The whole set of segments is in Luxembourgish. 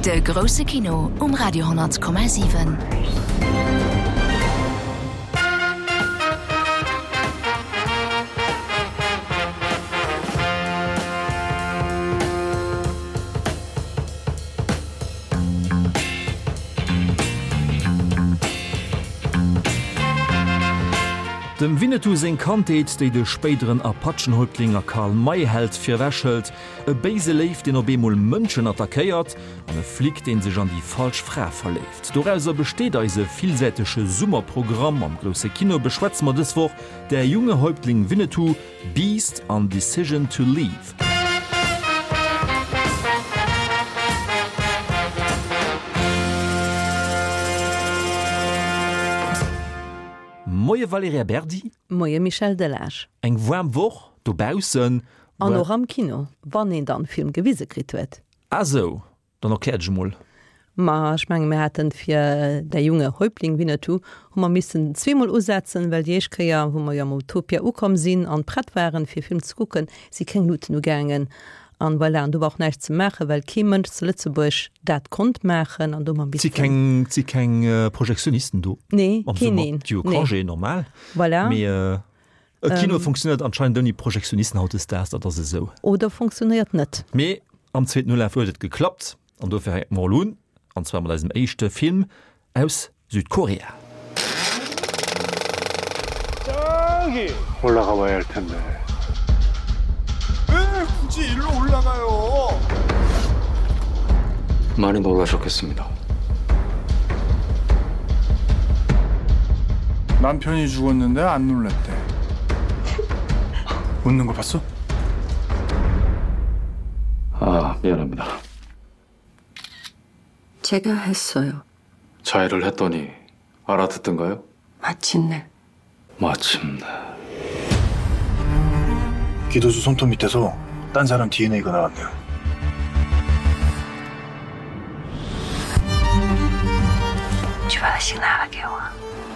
De grousse Kino um Radio 10,7. Dem Winnetou seng Kandheet, déi de spéideren Apachenhäuptling a Karl May Held virewech hëlt, e béise Léif, deen op eemol Mënschen attackéiert, an e Flic, deen sech an déi falsch Fra verléift. Dorauser besteet eise villsäitege Summerprogramm. Am grousse Kino beschwätze mer dës Woch Der junge Häuptling Winnetou, Beast an Decision to Leave. Moie Valerija Berdi. Moie Michel Delage. Eng waarm Woch dobaussen. An och am Kino, wann een dann Film gewise kritt huet. Ah sou, Dann erklär dech emol. Ma ech menge mir haten fir Der junge Häuptling Winnetou hu mer missen zweemol usetzen, well déi éischt Kéier, wou mer jo am Utopia ukomm sinn an prett waren fir Film ze kucken, si keng Luuten ugaangen. An voilà, an do war och näischt ze maachen, well kee Mënsch zu Lëtzebuerg dat konnt maachen an do hu mer missen. Et si keng Projektionisten do Nee, am keen Summer. een. Déi hu Nee. Congé, normal. Voilà. Mee e Kino funktionéiert anscheinend ouni Projektionisten hautdesdaags, dat ass esou. Oder funktionéiert net. Mee Am zweeten Ulaf huet et geklappt an dofir hänke mer elo un, an zwar mat eisem éischte Film aus Südkorea. 아, 미안합니다. 제가 했어요. 자해를 했더니 알아듣던가요? 마침내. 마침내. 기도수 손톱 밑에서 딴 사람 DNA가 나왔네요.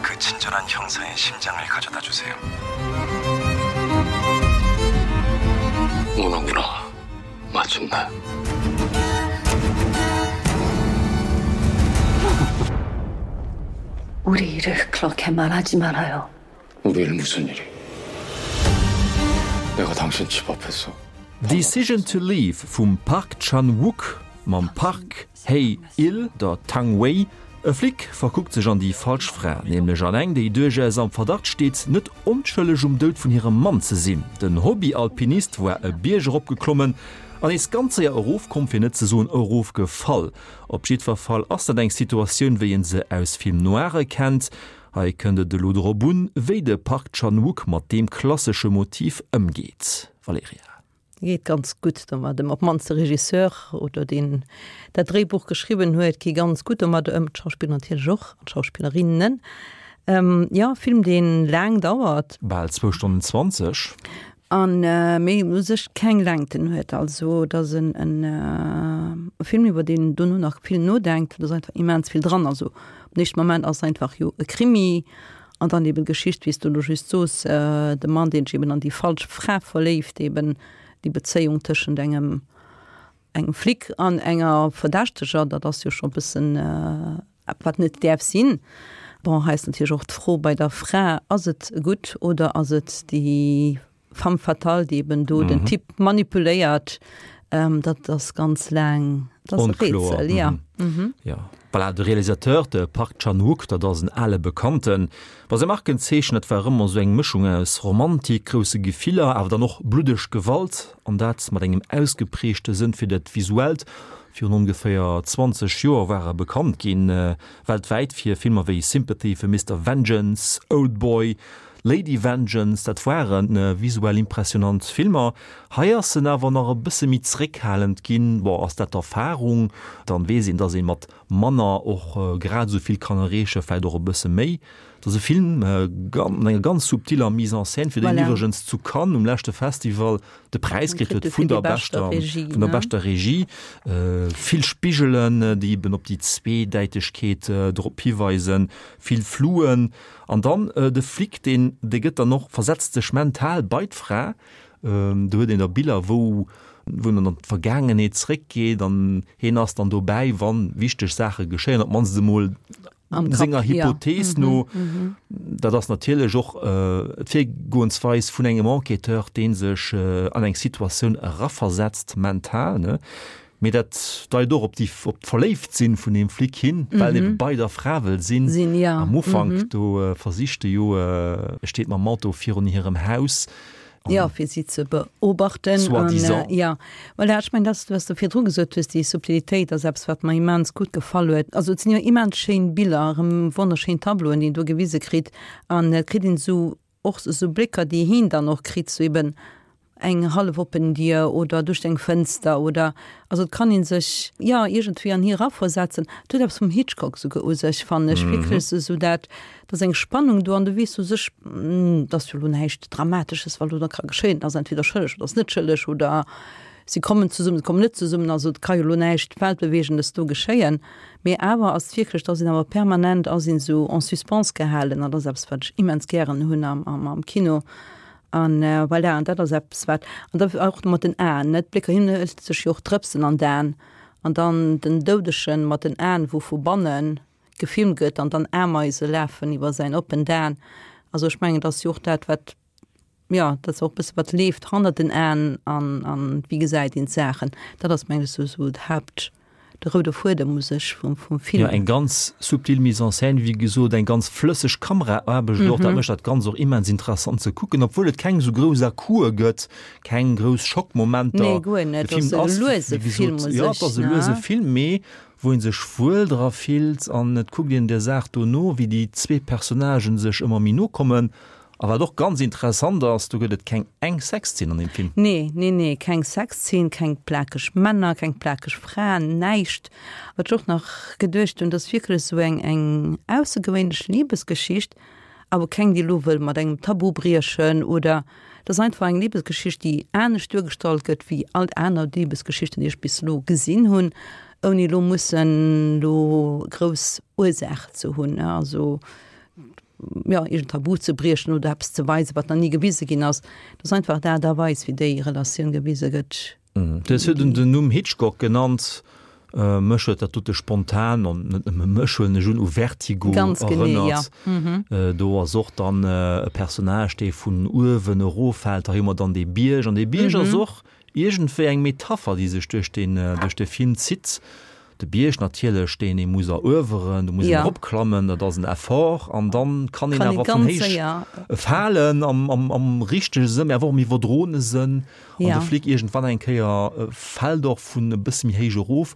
그 친절한 형사의 심장을 가져다 주세요. 오는구나. 마침내. 우리 일을 그렇게 말하지 말아요. 우리 일 무슨 일이? 내가 당신 집 앞에서 Decision to Leave vum Park Chan-wook mam Park Hae-il, der Tang Wei. E Flic verkuckt sech an déi falsch Fra, nämlech an eng, déi duerchaus am Verdacht steet, net onschëlleg um Doud vun hirem Mann ze sinn. Den Hobby-Alpinist war e Bierg eropgeklommen an nees ganz séier erofkomm, fir net ze soen erofgefall. Op jiddwer Fall ass dat eng Situatioun, wéi een se aus Film noire kennt. Hei kënnt et elo drop un, wéi de Park Chan-wook mat deem klassesche Motiv ëmgeet. Valerija. Geet ganz gutt domat ëm. Op d'mannst de Regisseur oder deen dat Dréibuch geschriwwen huet, gi ganz gutt domat ëm. D'Schauspiller natierlech och an d'Schauspillerinnen. Jo, Film dee laang dauert. Bal zwou Stonnen 20. An mee u sech keng Längten huet. Also et ass en Film iwwer deen een dono nach vill nodenkt. Et ass einfach immens vill dran. Also am éischte Moment ass et einfach jo e Krimi An dann eben d'Geschicht, wéi s du elo just soos, de Mann, deen sech eben an déi falsch Fra verléift, eben déi Bezéiung tëschent engem, engem Flic an enger Verdächteger, dat ass jo scho e bëssen eppes, wat net däerf sinn. Bon, hei ass natierlech och d'Fro bei der Fra, ass et gutt oder ass et déi Femme fatale, déi eben do den Typ manipuléiert, dat ass ganz laang, dat ass e Rätsel, ja. Jo, voilà, de Realisateur, de Park Chan-wook, dat ass en ale Bekannten. Bei säi Markenzeechen, dat war ëmmer esou eng Mëschung aus Romantik, grousse Gefiller, awer dann och bluddeg Gewalt, an dat mat engem ausgeprägte Sënn fir dat Visuellt. Virun ongeféier 20 Joer war e bekannt ginn, weltwäit, fir Filmer wéi Sympathy for Mister Vengeance, Oldboy, Lady Vengeance, dat waren visuell impressionant Filmer. Hei ass en awer nach e bësse méi zréckhalend ginn. Bon, ass dat d'Erfahrung? Dann weess een, dass ee mat manner och grad esou vill kann erreechen, vläicht och e bësse méi. Et ass e Film mat enger ganz subtiller Mise en scène, fir deen iwwregens zu Cannes um leschte Festival de Präis kritt huet vun der beschter, vun der beschter Regie. Vill Spigelen, déi eben op déi Zweedäitegkeet drop hiweisen, vill Fluen. An dann de Flic, deen, dee gëtt dann och, versetzt sech mental bei d'Fra. Do huet een da Biller, wou. Wou en an d'Vergaangenheet zréckgeet an hien ass dann dobäi, wann wichteg Saache geschéien, op d'mannst emol senger Hypothees no. Dat ass natierlech och d'Virgoensweis vun engem Enquêteur, dee sech an eng Situatioun eraversetzt, mental, ne? Mee dat deit och op déi, op d'Verléiftsinn vun deem Flic hin, well e bei der Fra wëll sinn. Am Ufank do versicht e jo, e steet mam Auto virun hirem Haus Jo, fir si ze beobachten. Soi-disant. Jo, voilà, ech mengen, dat, wat s de virdru gesot hues, déi Subtilitéit ass eppes, wat mer immens gutt gefall huet. Also et sinn jo immens schéin Biller, erëm wonnerschéin Tableauen, déi een do gewise kritt. An et kritt een esou och esou Blécker, déi heen dann och kritt, sou eben eng hallef oppen Dier oder duerch eng Fënster oder, also et kann ee sech, jo, iergendwéi an hie eraversetzen. Et huet eppes vum Hitchcock souguer u sech, fannen ech, wierklech esou dat, Et ass eng Spannung do an du weess u sech, et ass jo elo näischt Dramatesches, wat elo da ka geschéien. Et ass entweder schëlleg oder ass net schëlleg oder si kommen zesummen, si kommen net zesummen. Also et ka jo elo näischt Weltbewegendes do geschéien. Mee awer ass et wierklech, dass een awer permanent ass een esou en suspens gehalen an dat ass eppes, wat ech immens gären hunn am Kino. An voilà, an dat ass eppes wat, an da och mat den Aen, net, d'Blécker, hien hëlt sech jo och Drëpsen an d'Aen an dann den Doudegen mat den Aen, wou vu bannen gefilmt gëtt an dann Ameise lafen iwwer säin oppent Aen. Also ech mengen, dat ass jo och dat, wat, jo, dat ass och e bësse wat leeft hannert den Aen an, an wéi gesäit een d'Saachen. Dat ass mengen ech esou, esou d'Haupt, de roude Fuedem u sech vum, vum Film. Jo, eng ganz subtil Mise en scène, wéi gesot, eng ganz flësseg Kameraaarbecht och. Dat mécht dat Ganzt och immens interessant ze kucken, obwuel et keng esou grouss À-coupe gëtt, keng grouss Schockmomenter. Nee, guer net. De Film ass e luese wéi gesot, Film u jo, et sech, ass e luese ne? Film, mee wou een sech wuel dra fillt an et kuckt een der Saach do no, wéi déi zwee Personnagen sech ëmmer méi no kommen. A wat och ganz interessant ass, do gëtt et keng eng Sexzeen an deem Film. Nee, nee, nee, keng Sexzeen, keng plakeg Männer, keng plakeg Fraen, näischt. Wat ech och nach geduecht hunn, dat ass wierklech esou eng, eng aussergewéinlech Libesgeschicht, awer keng, déi elo wëll mat engem Tabu briechen oder Et ass einfach eng Libesgeschicht, déi anescht duergestallt gëtt wéi all aner Libesgeschichten, déi ech bis elo gesinn hunn, ouni elo mussen elo grouss Ursaache ze hunn, also jo iergend Tabu ze briechen oder eppes ze weisen, wat nach ni gewise ginn ass. Et ass einfach d'Aart a Weis, wéi déi Relatioun gewise gëtt. Du hues virdrun den Numm Hitchcock genannt. Mech huet dat dote spontan, an net nëmme mech, huelen ech un, u Vertigo Ganz genee, ja. erënnert. Do ass och dann e Personnage, dee vun uewen eroffält. Hei hu mer dann dee Bierg, an dee Bierg ass och iergendwéi eng Metapher, déi sech duerch deen, duerch de Film zitt. De Bierg natierlech, deen ee muss erueweren, do muss een eropklammen, dat ass en Effort, an dann kann een awer vun héich falen, am richtege Sënn, mee awer och am iwwerdroene Sënn. An de Flic iergendwann eng Kéier fält och vun e bësse méi héich erof.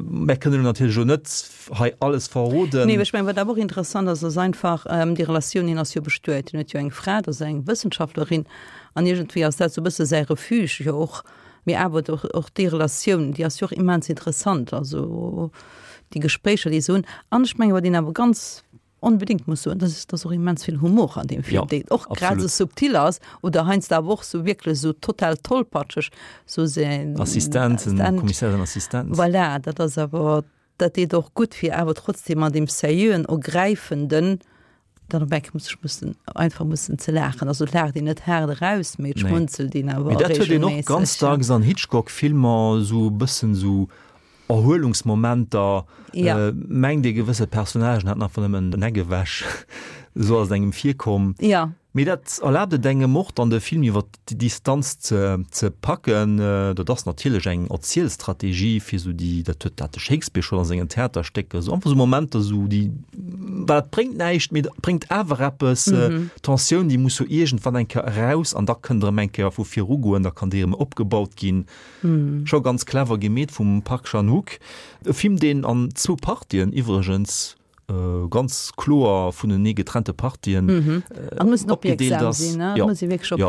Mär kënnen elo natierlech elo net hei alles verroden. Nee, ech mengen, wat awer och interessant ass, ass einfach déi Relatioun, hien ass jo bestuet, hien huet jo eng Fra, dat ass eng Wëssenschaftlerin, an iergendwéi ass dat esou e bësse säi Refuge jo och. Mee awer och, och déi Relatioun, déi ass jo och immens interessant, also déi Gespréicher, déi se hunn. An ech mengen, wat een awer ganz onbedéngt muss soen, dat ass, dass och immens vill Humor an deem Film, deen och grad esou subtil ass oder heiansdo awer och esou wierklech esou total tollpatscheg, esou säin Assistent, den Kommissär, säin Assistent. Voilà, dat ass awer, dat deet och gutt, fir awer trotzdem an deem seriöen, ergräifenden Dann op enke muss ech mussen einfach mussen ze laachen. Also et laacht een net haart eraus, mee et schmunzelt een awer Mee dat huet een och regelméisseg. ganz dacks an Hitchcock-Filmer, esou e bëssen esou Erhuelungsmomenter. Ja. Mengt ee gewësse Personnagen hätten einfach nëmmen den Eck ewech, esou ass et engem virkomm. Ja. Mee dat erlaabt et engem och dann de Film iwwer déi Distanz ze ze packen. Dat ass natierlech eng Erzielstrategie fir esou déi, dat huet dat de Shakespeare schonn a sengen Theaterstécker, esou einfach esou Momenter esou déi, well dat bréngt näischt, mee dat bréngt awer eppes, d'Tensioun déi muss jo iergendwann eng Kéier eraus an da kënnt erëm eng Kéier vu virugoen, da kann déi erëm opgebaut ginn. Scho ganz clever gemeet vum Park Chan-wook. E Film deen an zwou Partien iwwregens ganz kloer vunenee getrennte Partien opgedeelt ass. Jo, jo.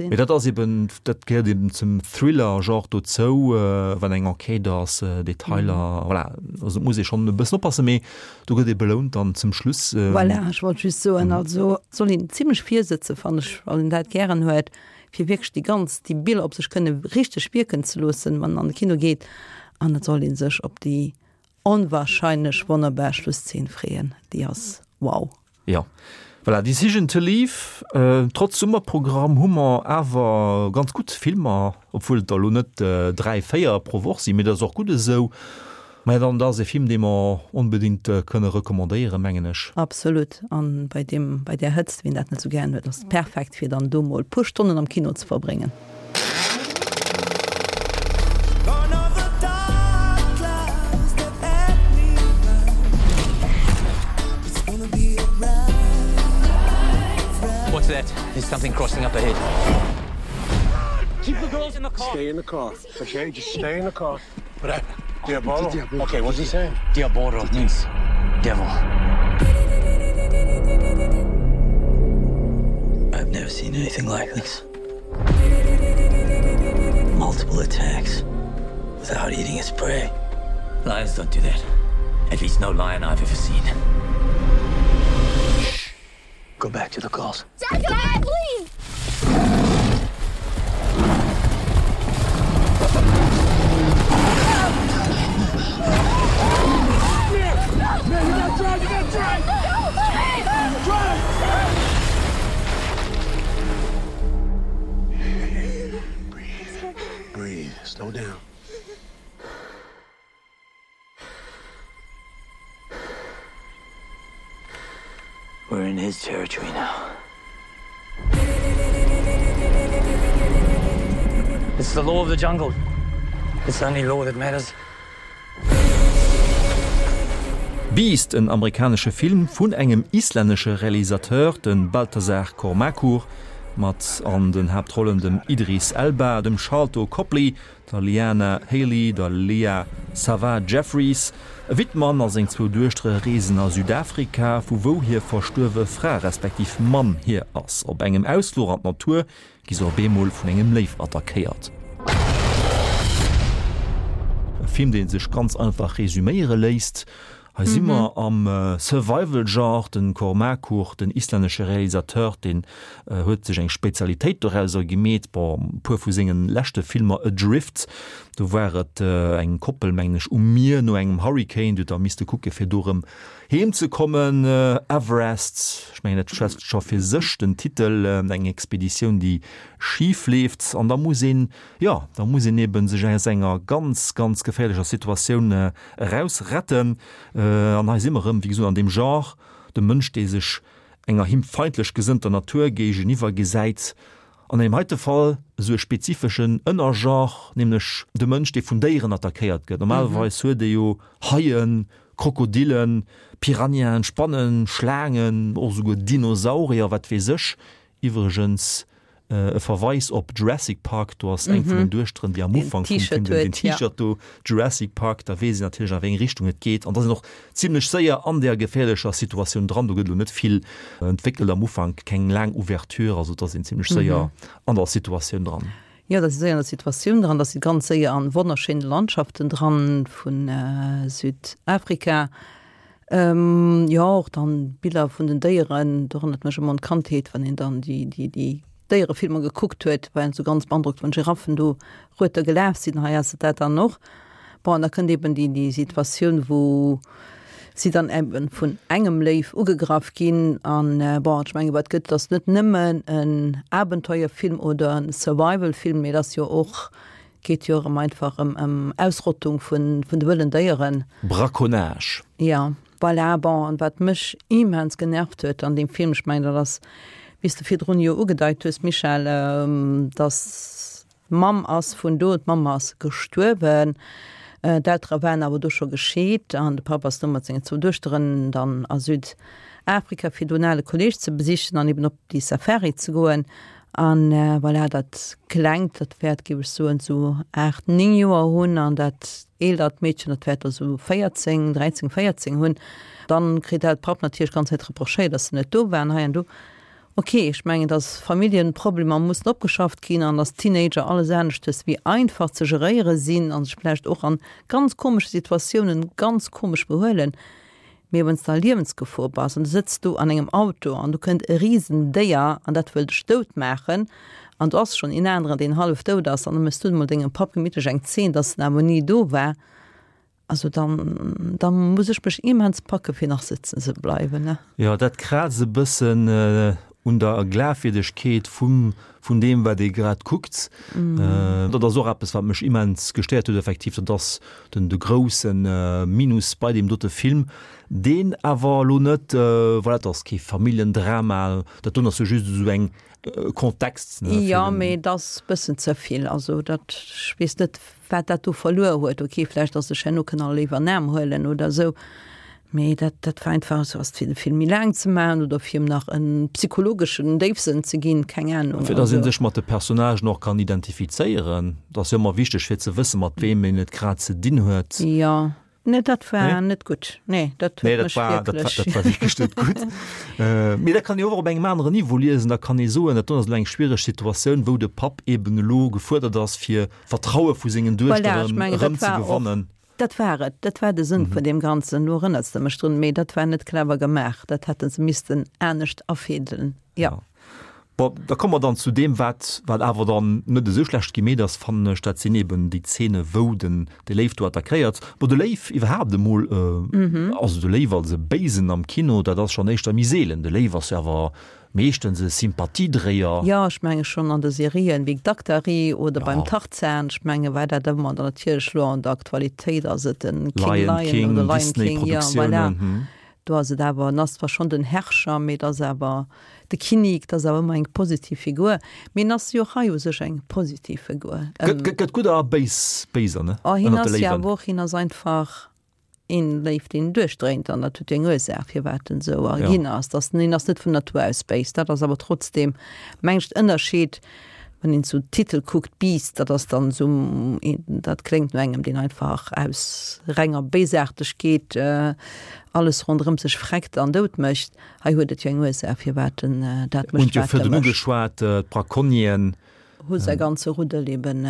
Mee dat ass eben, dat gehéiert eben zum Thriller-Genre dozou, wann eng Enquête ass, Detailer, voilà. Also et muss ee schonn e bëssen oppassen, mee do gëtt ee belount dann zum Schluss. Voilà, ech wollt just soen, also et soll een zimlech virsëtzen, fannen ech, wann een dat gären huet, fir wierklech déi ganz, déi Biller op sech kënne richteg wierken ze loossen, wann een an de Kino geet. An et soll ee sech op déi Onwahrscheinlech wonnerbar Schlusszeen freeën, déi ass wow. Jo. Voilà, Decision to Leave, trotz Summerprogramm hu mer awer ganz gutt Filmer, obwuel et der elo net 3, 4 pro Woch sinn, mee dat ass och gutt esou. Maja, dann dat ass e Film, dee mer onbedéngt kënne recommandéieren, mengen ech. Absolut, an bei deem, bei där Hëtzt, wien dat net esou gären huet, ass perfekt fir dann do mol puer Stonnen am Kino ze verbréngen. What's that? There's something crossing up ahead. Keep the girls in the car. Stay in the car. Okay, just stay in the car. What happened? Diabolo? Okay, what's he saying? Diabolo means devil. I've never seen anything like this. Multiple attacks without eating its prey. Lions don't do that. At least no lion I've ever seen. Shh. Go back to the calls. Dad, Dad, please! Man, you gotta drive, you gotta drive! Drive! Drive! Breathe. Breathe. Slow down. We're in his territory now. It's the law of the jungle. It's the only law that matters. Beast, en amerikanesche Film vun engem islännesche Realisateur, de Baltasar Kormákur, mat an den Haaptrollen dem Idris Elba, dem Sharlto Copley, der Liana Haley, der Leah Sava Jeffries. E Wittmann a seng zwou Duechtere reesen a Südafrika, vu wou hir verstuerwe Fra respektiv Mamm hier ass. Op engem Ausfluch an d'Natur gi se op eemol vun engem Léiw attackéiert. E Film, dee sech ganz einfach resuméiere léisst. Hei si mer am Survival-Genre. Den Kormákur, den islännesche Realisateur, deen huet sech eng Spezialitéit dorauser gemeet. Bon, e puer vu senge leschte Filmer, Adrift, do war et eng Koppel, mengen ech, um Mier no engem Hurricane, déi huet da misste kucke fir do erëm heem ze kommen. Everest, ech mengen dat schwätzt scho fir sech, den Titel, eng Expeditioun déi schif leeft an da muss een, jo, da muss een eben sech aus enger ganz, ganz geféierlecher Situatioun eraus retten. An hei si mer erëm, wéi gesot, an deem Genre, de Mënsch, dee sech enger him feindlech gesënnter Natur géigeniwwer gesäit, an engem heite Fall esou e spezifeschen Ënnergenre, nämlech de Mënsch, dee vun Déieren attackéiert gëtt. Normalerweis huet ee jo Haien, Krokodillen, Piranhaen, Spannen, Schlaangen, och esouguer Dinosaurier, wat weess ech. Iwwregens e Verweis op Jurassic Park, do ass eng vun den Duechteren, déi am Ufank vum Film den T-Shirt do, Jurassic Park, da weess een natierlech a wéi eng Richtung et geet an da sinn och zimlech séier an där geféierlecher Situatioun dran. Do gëtt elo net vill entwéckelt am Ufank, keng laang Ouverture, also et ass een zimlech séier an der Situatioun dran. Jo, da si séier an der Situatioun dran, da si ganz séier an wonnerschéine Landschaften dran vu Südafrika. Jo, och dann Biller vun den Déieren, do erënnert mech ëmmer un d'Kandheet, wann een dann déi, déi, déi Déierefilmer gekuckt huet, war een esou ganz beandrockt, wann Giraffen do rueter gelaf sinn. Hei ass et dat dann och. Bon, an da kënnt eben déi, déi Situatioun, wou si dann eben vun engem Léiw ugegraff ginn. An bon, ech mengen, wat gëtt, ass net nëmmen en Abenteuerfilm oder en Survival-Film, mee et ass jo och Geet jo erëm einfach ëm ëm Ausrottung vun vun de wëllen Déieren. Braconnage. Jo, voilà. Bon, an wat mech immens genervt huet an deem Film, ech mengen dat ass, wéi s de virdrun jo ugedeit hues, Michèle, dass d'Mamm ass vun do, d'Mamm ass gestuerwen, d'Eltere waren awer do scho gescheet an de Papp ass do mat sengen zwou Duechteren dann a Südafrika fir do en ale Kolleeg ze besichen an eben op déi Safari ze goen. An voilà, dat Klengt, dat wäert, géif ech soen, esou 8, 9 Joer hunn an dat eelert Meedchen, dat wäert der esou 14, 13, 14 hunn. Dann kritt dat Papp natierlech d'ganz Zäit reprochéiert, dass se net do waren hei an do. Ok, ech mengen, dass Familljenproblemer mussen opgeschafft ginn an dass Teenager alles aneschtes wéi einfach ze geréiere sinn a sech vläicht och an ganz komesche Situatiounen ganz komesch behuelen. Mee wann s de a Liewensgefor bass an du sëtz do an engem Auto an do kënnt e Risendéier an dat wëll dech dout maachen an do ass schonn een aneren, deen hallef dout ass an da méchs du emol dengem Papp gemittlech eng Zeen, dass en awer ni do war. Also dann, dann muss ech mech immens packe fir nach sëtzen ze bleiwen, ne. Jo, dat kraazt e bëssen un der Glafwierdegkeet vum, vun deem wat ee grad kuckt. Dat ass och eppes wat mech immens gestéiert huet effektiv. Dat ass den de grousse Minus bei deem dote Film, deen awer elo net, voilà, dat ass kee Familljendrama, dat doen ass jo just esou eng Kontext. Jo, mee et ass bëssen ze vill. Also dat, ech weess net, wat dat do verluer huet. Ok, vläicht ass sech herno kënne all léiwer en Aarm huelen oder esou, mee dat, dat war einfach esou, ass fir de Film méi laang ze maachen oder fir em nach e psychologeschen Déifsënn ze ginn, keng Ahnung. Fir datt ee sech mat de Personnagen och kann identifizéieren. Dat ass jo ëmmer wichteg, fir ze wësse mat weem een et grad ze dinn huet. Jo. Nee, dat war nee? net gutt. Nee, dat nee, dat war, dat war, dat war wierklech net gutt. Äh, mee dat kann ee och op engem aneren Niveau liesen. Da kann ee soen, dat do ass elo eng schwiereg Situatioun, wou de Papp eben elo gefuerdert ass, fir Vertraue vu sengen Duechteren voilà, erëm ze gewannen. Dat war et, dat war de Sënn mm -hmm. vun deem Ganzen. Lo erënners de mech drun, mee dat war net clever gemaach. Dat hätte se missten anescht afédelen. Ja. ja. Bon, da komme mer dann zu deem, wat, wat awer dann net esou schlecht gemeet ass, fannen ech. Dat sinn eben déi Zeene, wou den, de Léiw do attackéiert. Bon, de Léiw iwwerhaapt emol, also de Léiw als e Béisen am Kino, dat ass schonn éischter méi seelen. De Léiw ass jo awer meeschtens e Sympathiedréier. Jo, ech menge schonn an de Serien wéi Daktari oder beim Tarzan, ech menge war dat ëmmer. An dann natierlech elo an der Aktualitéit ass et den King Lion oder Lion King, jo, voilà. Do ass et awer, en ass zwar schonn den Herrscher, mee et ass awer de Kinnik, et ass awer ëmmer eng positiv Figur. Mee en ass jo och hei u sech eng positiv Figur. Gëtt, gëtt gudder a béis Béiser, ne? Oh, hien ass jo awer och, hien ass einfach een Léif, deen duerchdréint an dat huet jo eng Ursaach, firwat en esou erginn ass. Dass en ass net vun Natur aus béis, dat ass awer trotzdeem, meng ech, den Ënnerscheed. Wann een sou Titel kuckt, Beast, dat ass dann sou, dat kléngt no engem, deen einfach aus renger Béisaartegkeet alles ronderëm sech freckt an dout mécht. Hei huet et jo eng Ursaach, firwat en dat mécht, wat e mécht. Hunn jo virdrun ugeschwat, d'Braconnieren. Hu säi ganze Ruddel eben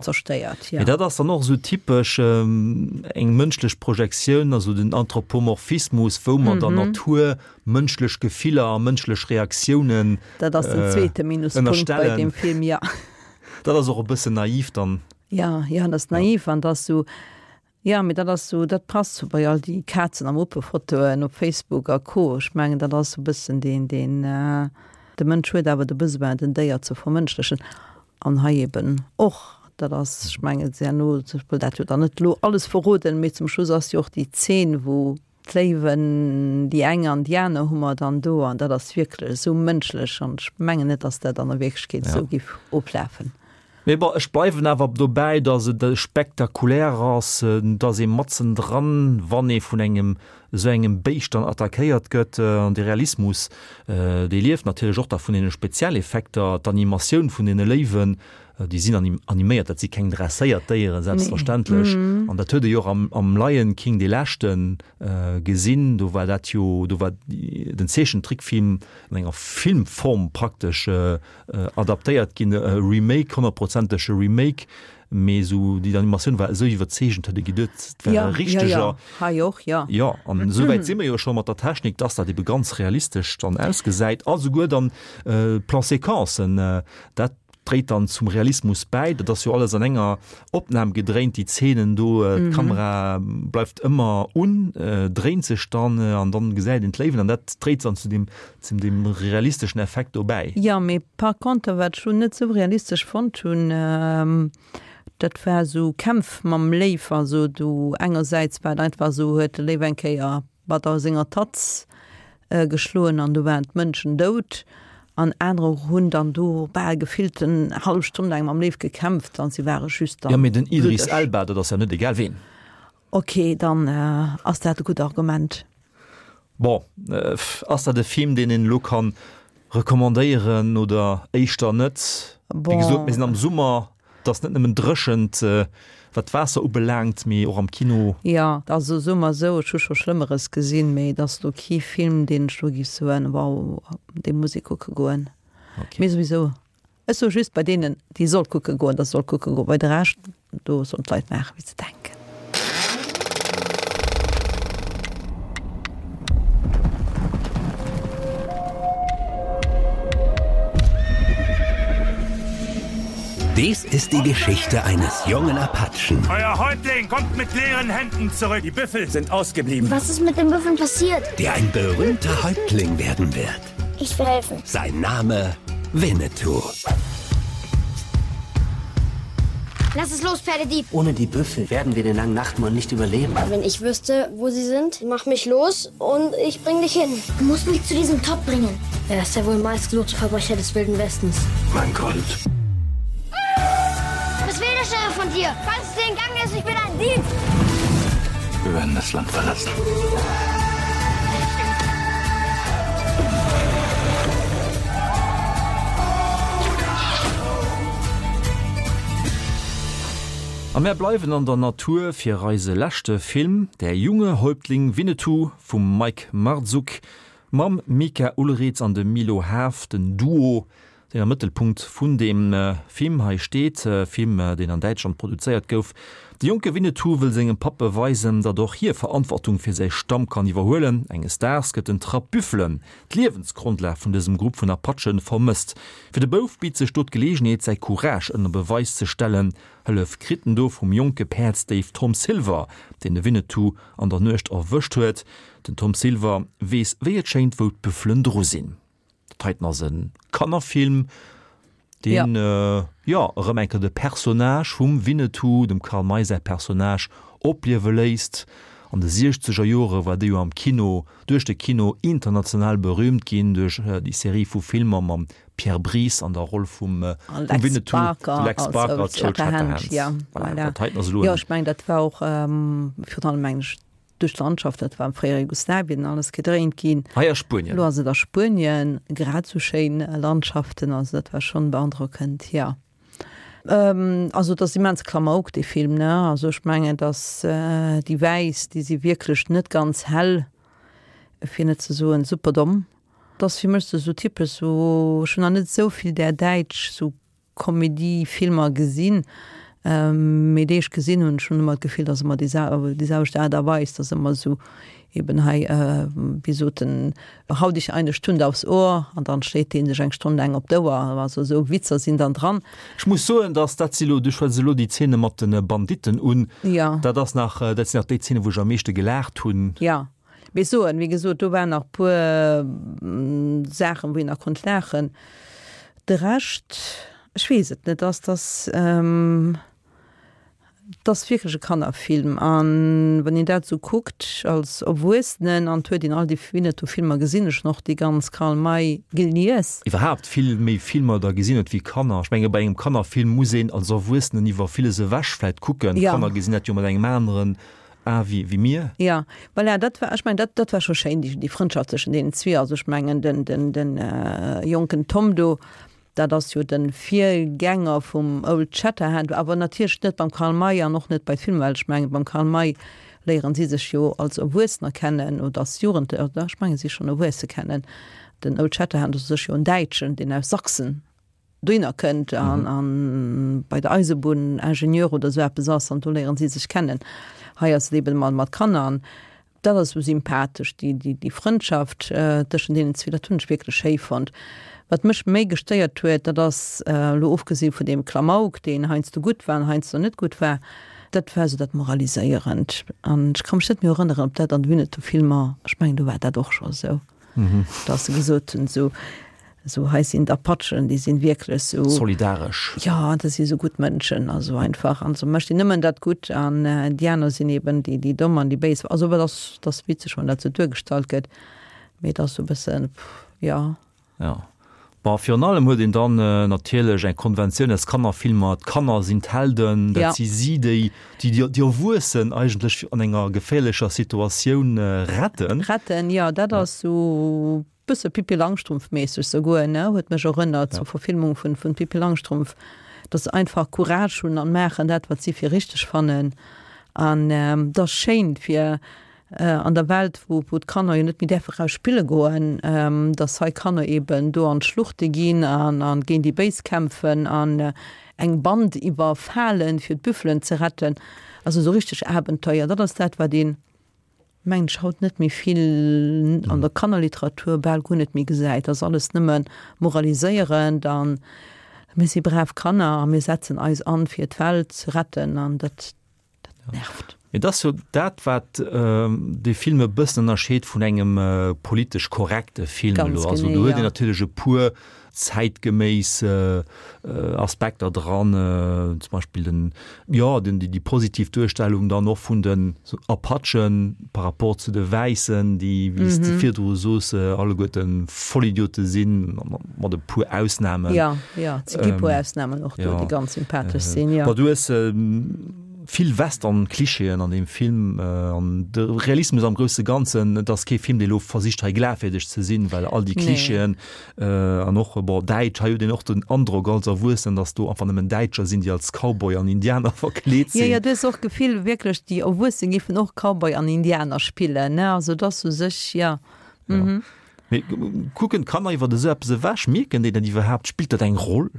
zerstéiert, jo. Mee dat ass dann och esou typesch eng mënschlech Projektioun, also den Anthropomorphismus, wou mer der Natur mënschlech Gefiller a mënschlech Reaktiounen Dat ass den zweete Minuspunkt bei deem Film, jo. Dat ass och e bëssen naiv dann. Ja, jo, dat ass naiv an dat ass sou, jo, mee dat ass sou, dat passt sou bei all déi Kazen a Muppe-Fotoen op Facebook a Co. Ech mengen, dat ass sou e bëssen deen, deen, de Mënsch huet awer de Besoin, den Déier ze vermënschlechen an hei eben och. Dat ass, ech mengen, herno, ech wëll dat jo dann net elo alles verroden, mee zum Schluss ass jo och déi Zeen, wou D'Léiwen, déi eng an déi aner hu mer dann do, an dat ass wierklech esou mënschlech an ech mengen net, datt dat an der Wierklechkeet esou giff oflafen. Mee bon, ech bleiwen awer dobäi, datt et spektakulär ass, datt ee matzen dran, wann ee vun engem esou engem Béischt dann attackéiert gëtt, an de Realismus, dee lieft natierlech och da vun deene Spezialeffekter, d'Animatioun vun deene Léiwen, Déi sinn animéiert, dat si keng dresséiert Déieren, selbstverständlech. An dat huet ee jo och am Lion King, dee leschte gesinn. Do war dat jo, do war den Zeechentrickfilm an enger Filmform praktesch adaptéiert ginn, e Remake, honnertprozentege Remake. Mee esou déi Animatioun war esou iwwerzeegend, huet ee geduet, et wär e richteger. Hei och, jo. Jo, an esou wäit si mer jo scho mat der Technik, dass dat ebe ganz realistesch dann ausgesäit. A souguer dann d'Plan-séquencen, dat dréit dann zum Realismus bäi. Dat ass jo alles an enger Opnam gedréint, déi Zeenen do. D'Kamera bleift ëmmer un, dréint sech dann an dann gesäit een d'Léiwen an dat dréit dann zu deem, zu deem realisteschen Effekt do bäi. Jo, mee par contre, wat ech lo net sou realistesch fonnt hunn, dat war esou Kämpf mam Léiw. Also do engersäits war et einfach esou, huet de Léiw eng Kéier mat a senger Tatz geschloen an do waren d'Mënschen dout an anerer hunn dann do bal gefillt en hallef Stonn laang mam Léiw gekämpft an si ware just dann Jo, mee den Idris Elba, dat ass ja net egal ween. Ok, dann ass dat e gutt Argument. Bon, ass dat e Film, deen een elo kann recommandéieren oder éischter net? Wéi gesot, mir sinn am Summer, et ass net nëmmen dréchent, wat d'Waasser ubelaangt, mee och am Kino. Jo, also soe mer esou, ech hu scho Schlëmmeres gesinn, mee et ass elo kee Film, deen ech elo géif soen, wow, dee muss ee kucke goen. Mee souwisou, Ech soe just bei deenen, déi soll kucke goen, dass se soll kucke goen. Bei de Rescht, do sollen d'Leit maachen, wéi se denken. Dies ist die Geschichte eines jungen Apachen. Euer Häuptling kommt mit leeren Händen zurück. Die Büffel sind ausgeblieben. Was ist mit den Büffeln passiert? Der ein berühmter Häuptling werden wird. Ich will helfen. Sein Name Winnetou. Lass es los, Pferdedieb. Ohne die Büffel werden wir den langen Nachtmond nicht überleben. Wenn ich wüsste, wo sie sind, mach mich los und ich bring dich hin. Du musst mich zu diesem Top bringen. Er ist ja wohl meistgesuchte Verbrecher des Wilden Westens. Mein Gold. Was will der Sheriff von dir? Falls du den Gang ist, ich bin ein Dieb. Wir werden das Land verlassen. A mär bleiwen an der Natur fir eise leschte Film, Der junge Häuptling Winnetou vum Mike Marzuk mam Mika Ulritz an dem Milo Haaf, den Duo, deen am Mëttelpunkt vun deem Film hei steet, Film, deen an Däitschland produzéiert gouf. De jonke Winnetou wëll sengem Papp beweisen, datt och hie Verantwortung fir säi Stamm kann iwwerhuelen. Enges Daags gëtt en Trapp Büffelen, d'Liewensgrondlag vun dësem Grupp vun Apachen, vermësst. Fir de Bouf bitt sech do d'Geleegenheet, säi Courage ënner Beweis ze stellen. Hëllef kritt en do vum jonke Päerdsdéif Tom Silver, deen de Winnetou an der Nuecht erwëscht huet. Den Tom Silver weess wéi et schéint, wou d'Büffelen dru sinn. Dat heiten ass e Kannerfilm, deen jo erëm eng Kéier de Personnage vum Winnetou, dem Karl May säi Personnage, opliewe léisst. An de siechzeger Jore war dee jo am Kino, duerch de Kino international berüümt ginn, duerch déi Serie vu Filmer mam Pierre Brice an der Roll vum Winnetou, de Lex Barker als Old Shatterhand. Voilà, dat heiten ass elo en. Jo, ech mengen, dat war och virun allem, mengen ech, Duerch d'Landschaft, dat war am fréiere Jugoslawien alles gedréint ginn. Hei a Spuenien. Elo ass et a Spuenien, grad esou schéin Landschaften, also dat war schonn beandrockend, jo. Also et ass immens Klamauk dee Film, ne? Also ech mengen, datt déi Wäiss, déi si wierklech net ganz hell, fir net ze soen super domm. Et ass fir mech esou typesch esou, ech hunn nach net esou vill där däitsch esou Komedie-Filmer gesinn, mee déi ech gesinn hunn, ech hunn ëmmer d'Gefill, dass ëmmer déi selwecht Aart a Weis, dass ëmmer esou eben hei, wéi sot en, hau dich eine Stunde aufs Ohr an dann schléit dee sech eng Stonn laang op d'Ouer, also esou Witzer sinn dann dran. Ech muss soen, dass dat si lo, du schwätz elo déi Zeene mat de Banditten un, dat ass nach, dat sinn nach déi Zeenen, wou ech am meeschte gelaacht hunn. Jo, mee soen, wéi gesot, do waren nach puer Saachen, wou een nach konnt laachen. De Rescht, ech weess et net, ass dass, et ass wierklech e Kannerfilm an wann een dat esou kuckt als Erwuessenen an et huet een all déi Winnetou-Filmer gesinn, ech hunn och déi ganz Karl May gelies. Iwwerhaapt vill méi Filmer da gesinn huet wéi Kanner. Ech menge bei engem Kannerfilm muss een als Erwuessenen iwwer villes ewech vläit kucken. D'Kanner gesinn dat jo mat engem aneren A wéi, wéi mir. Jo, voilà, dat war, ech mengen, dat, dat war scho schéin, déi, déi Frëndschaft zwëschen deenen zwee. Also ech mengen, den, den, den jonken Tom do, dat ass jo de Virgänger vum Old Shatterhand, awer natierlech net beim Karl May an och net bei Film, well ech mengen, beim Karl May léieren si sech jo als Erwuessener kennen oder als Jugendlecher, oder ech mengen, si schonn Erwuesse kennen. Den Old Shatterhand ass u sech jo en Däitschen, deen aus Sachsen dohinner kënnt an an bei der Eisebunn Ingenieur oder esou eppes ass an do léieren si sech kennen. Hei ass et eben mat mat Kanner an dat ass esou sympathesch, déi déi déi Frëndschaft tëschent deenen zwee, dat hunn ech wierklech schéi fonnt. Wat mech méi gestéiert huet, dat ass, elo ofgesi vun deem Klamauk, deen heiansdo gutt war an heiansdo net gutt war, dat war esou dat Moraliséierend an ech ka mech net méi erënneren, ob dat an de Winnetou-Filmer, ech mengen do war dat och scho esou. Dass se gesot hunn, esou, esou hei sinn d'Apachen, déi sinn wierklech esou. Solidaresch. Jo, dat si esou gutt Mënschen, also einfach, an se mécht een nëmmen dat Gutt an déi aner sinn eben déi, déi Domm an déi Béis. Also dat ass, dat ass witzeg, wann dat esou duergestallt gëtt, mee et ass esou e bëssen, jo. Jo. Bon, virun allem huet een dann natierlech eng Konventioun aus Kannerfilmer, d'Kanner sinn d'Helden, dat si si, déi déi Erwuessen eigentlech an enger geféierlecher Situatioun retten. Retten, jo, dat ass sou bësse Pippi Langstrumpf-méisseg souguer, ne, huet mech erënnert, sou Verfilmung vun vun Pippi Langstrumpf, dass se einfach Courage hunn an maachen dat, wat si fir richteg fannen. An et ass schéin fir An der Welt, wou d'Kanner jo net méi däerfe raus spille goen, datt hei Kanner eben do an d'Schluchte ginn a géint déi Béis kämpfen an eng Band iwwerfalen, fir d'Büffelen ze retten. Also esou richteg Abenteuer, dat ass dat, wat een, mengen ech, haut net méi vill an der Kannerliteratur, bal guer net méi gesäit. Dat ass alles nëmme moraliséierend an. Mir si brav Kanner a mir setzen eis an, fir d'Welt ze retten an dat, dat nervt. Mee et ass jo dat, wat dee Film e bëssen ënnerscheet vun engem politesch korrekte Film elo. Also do huet een natierlech e puer zäitgeméiss Aspekter dran, zum Beispill den, jo, den, déi positiv Duerstellung dann och vun den Apachen par rapport zu de Wäissen, déi, wéi s de virdru soos, alleguerte Vollidiote sinn, mat e puer Ausnamen. Jo, jo, et si gi puer Ausnamen och do, déi ganz sympathesch sinn, jo. Bon, du hues vill Western-Klischeeën an deem Film an de Realismus am grousse Ganzen, et ass kee Film, dee lo versicht hei glafwierdeg ze sinn, well all déi Klischeeën an och, bon, Däitsch, hei huet een och den Androck als Erwuessenen, datt do einfach nëmmen Däitscher sinn, déi als Cowboy an Indianer verkleet sinn. Jo, jo, du hues och d'Gefill wierklech, déi Erwuesse géifen och Cowboy an Indianer spillen, ne, also et ass u sech, jo. Mee kucken d'Kanner iwwer esou eppes ewech? Mierken déi dat iwwerhaapt? Spillt dat eng Roll?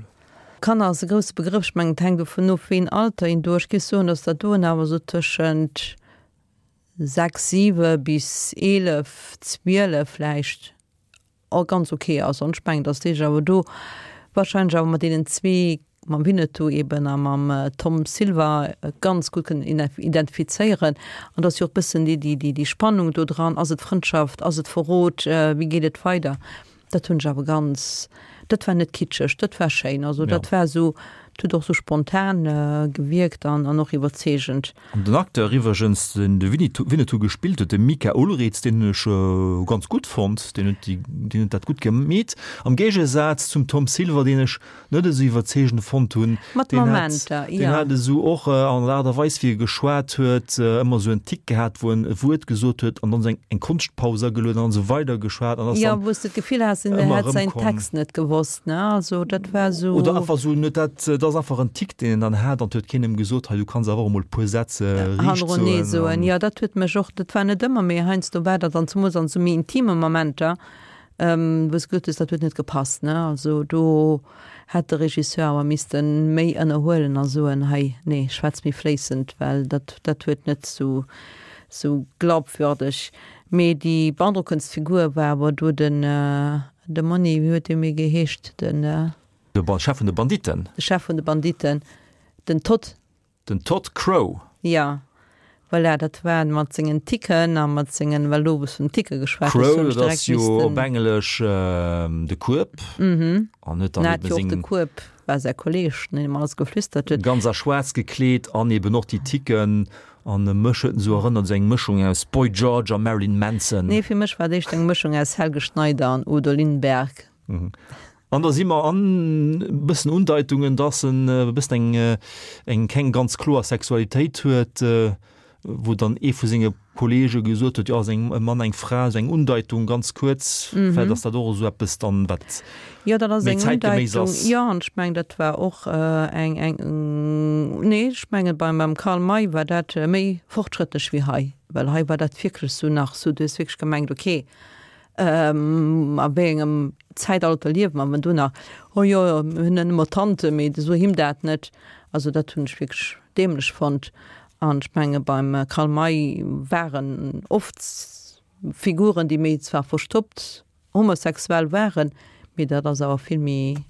Kanner ass e grousse Begrëff. Ech mengen, et hänkt dovun of, wéi een Alter een do. Ech géif soen, datt dat doen awer esou tëschent 6, 7 bis 11, 12 vläicht och ganz ok ass. An ech mengen, datt déi sech awer do wahrscheinlech awer mat deenen zwee, mam Winnetou eben a mam Tom Silver, ganz gutt kënnen identifizéieren. An et ass jo och e bëssen déi, déi, déi Spannung do dran, Ass et Frëndschaft, ass et Verrot, wéi geet et weider? Dat hunn ech awer ganz, dat war net kitscheg, dat war schéin. Also dat war esou, et huet och esou spontan gewierkt an an och iwwerzeegend. An den Acteur iwwregens, deen de Winnetou gespillt huet, de Mika Ulriz, deen hunn ech ganz gutt fonnt, deen huet déi, deen huet dat gutt gemeet. Am Géigesaz zum Tom Silver, deen ech net esou iwwerzeegend fonnt hunn. Mat Deen hat, Momenter, deen jo. hat esou och an der Aart a Weis, wéi e geschwat huet, ëmmer esou en Tick gehat, wou en e Wuert gesot huet an dann esou eng, eng Konschtpaus agelueden an esou weider geschwat an ass Jo, dann wou s de d'Gefill has, en ëmmer hätt säin erëmkomm. Text net gewosst, ne? Also dat war esou. Oder einfach esou, en huet dat, dat ass einfach en Tick, deen en dann hat an et huet keen em gesot, hei du kanns awer och emol e puer Sätz riicht Hannerenee soen soen. an. Jo, dat huet mech och, dat war net ëmmer, mee heiansdo war dat, an zemools an esou méi intime Momenter, wou s de gesot hues, dat huet net gepasst, ne? Also do hätt de Regisseur awer misste méi ënnerhuelen a soen, hei, nee, schwätz méi fléissend, well dat, dat huet net sou, sou glaubwürdeg. Mee déi beandrockendst Figur war awer do den, de Monni, wéi huet dee méi geheescht, den. De Chef vun de Banditten. De Chef vun de Banditten, den Todd. Den Todd Crow. Jo, voilà, dat war mat sengen Ticken a mat sengen, well do wou s vun Ticke geschwat hues, Crow, hunn ech dat ass direkt jo missten. op Englesch de Kueb. An huet dann En hat eben jo och de seng. Kueb, war säi Kolleg, deen him alles geflüstert huet. Ganz a schwaarz gekleet an eben och déi Ticken. An mech huet en esou erënnert, esou eng Mëschung aus Boy George a Marilyn Manson. Nee, fir mech war et éischter eng Mëschung aus Helge Schneider an Udo Lindenberg. An da si mer an e bëssen Undeitungen, dass en e bëssen eng, eng keng ganz kloer Sexualitéit huet, wou dann ee vu senge Kollege gesot huet, jo ass eng e Mann, eng Fra, esou eng Undeitung ganz kuerz. Vläicht ass dat och esou eppes dann, wat Jo, dat ass méi eng zäitgeméiss Undeitung. ass. Jo, an ech mengen, dat war och eng, eng, nee, ech mengen beim, beim Karl May war dat méi fortschrëttlech wéi hei, well hei war dat wierklech esou nach esou, du hues wierklech gemengt, okay, A wéi engem Zäitalter liewe mer, wenn do nach, oh jo, mir hunn nëmme Tante, mee so him dat net. Also dat hunn ech wierklech däämlech fonnt. An ech menge beim Karl May waren oft Figuren, déi méi zwar verstoppt homosexuell waren, mee dat ass awer vill méi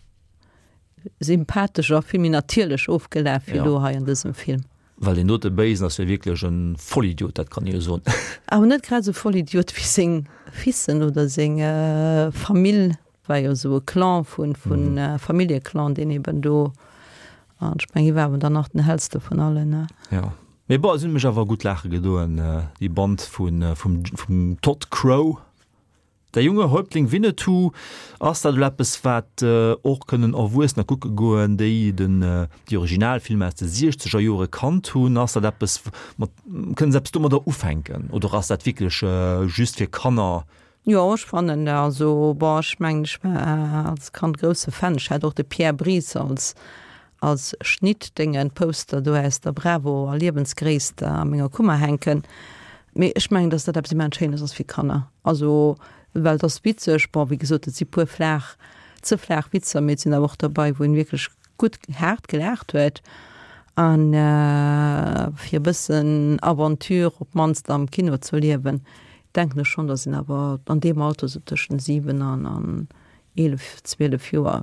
sympathesch a vill méi natierlech ofgelaf wéi elo hei an dësem Film. Well deen dote Béisen ass jo wierklech e Vollidiot, dat kann ee jo soen. Awer net grad esou Vollidiot wéi seng Fissen oder seng Famill. War jo esou e Clan vun, vun Familljeclan, deen eben do, an ech mengen, hie war awer dann nach den hellste vun allen, ne? Jo. Mee bon, se hunn mech awer gutt laache gedoen, déi Band vun, vum, vum Todd Crow. Der junge Häuptling Winnetou, ass dat elo eppes wat och kënnen Erwuessener kucke goen, déi den déi Originalfilmer aus de siechzeger Jore kannt hunn? Ass dat eppes mat, kënnen se eppes domadder ufänken oder ass dat wierklech just fir Kanner? Jo, ech fannen, also bon, ech mengen ech war als Kand grousse Fan, ech hat och de Pierre Brice als als Schnittdéngen, Poster do aus der Bravo a Liewensgréisst a menger Kummer hänken. Mee ech mengen, dass dat eppes immens Schéines ass fir Kanner. Also, well et ass witzeg, bon, wéi gesot, et si puer flaach, ze flaach Witzer, mee et sinn awer och derbei, wou een wierklech gutt haart gelaacht huet. An fir e bëssen Aventure op d'mannst am Kino ze erliewen, denken ech schonn, dass een awer an deem Alter, sou tëschent 7 an 11, 12 Joer,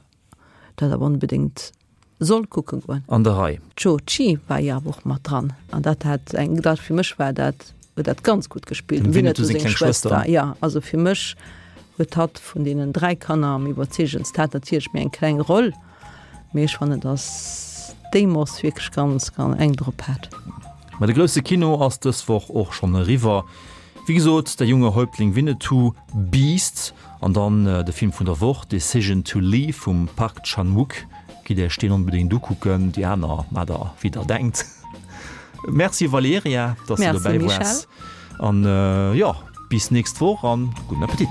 dat awer onbedéngt soll kucke goen. An der Rei. D'Cho Chi war jo awer och mat dran an dat hat eng, dat fir mech war dat, huet dat ganz gutt gespillt. Dem Winnetou seng kleng Schwëster. Jo, also fir mech huet hatt vun deenen 3 Kanner am iwwerzeegendst, hat natierlech méi eng kleng Roll, mee ech fannen, dass déi Moss wierklech ganz, ganz eng drop hat. Mä de grousse Kino ass dës Woch och schonn eriwwer. Wéi gesot, Der junge Häuptling Winnetou, Beast an dann de Film vun der Woch, Decision to Leave vum Park Chan-wook. Gitt Iech deen onbedéngt ukucken, déi aner maacht der wéi der denkt. Merci Valerija, dass du Merci dobäi Michèle. waars an jo, bis nächst Woch an gudden Appetit.